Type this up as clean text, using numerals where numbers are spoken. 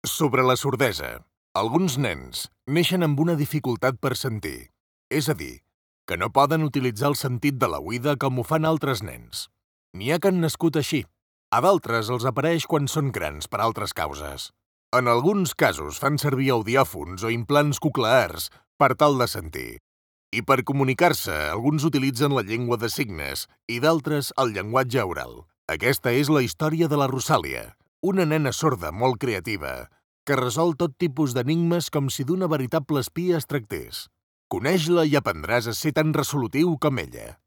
Sobre la sordesa. Alguns nens neixen amb una dificultat per sentir, és a dir, que no poden utilitzar el sentit de l'oïda com ho fan altres nens. N'hi ha que han nascut així. A d'altres els apareix quan són grans per altres causes. En alguns casos fan servir audiòfons o implants coclears per tal de sentir. I per comunicar-se, alguns utilitzen la llengua de signes i d'altres el llenguatge oral. Aquesta és la història de la Rosàlia, una nena sorda molt creativa, que resol tot tipus d'enigmes com si d'una veritable espia es tractés. Coneix-la i aprendràs a ser tan resolutiu com ella.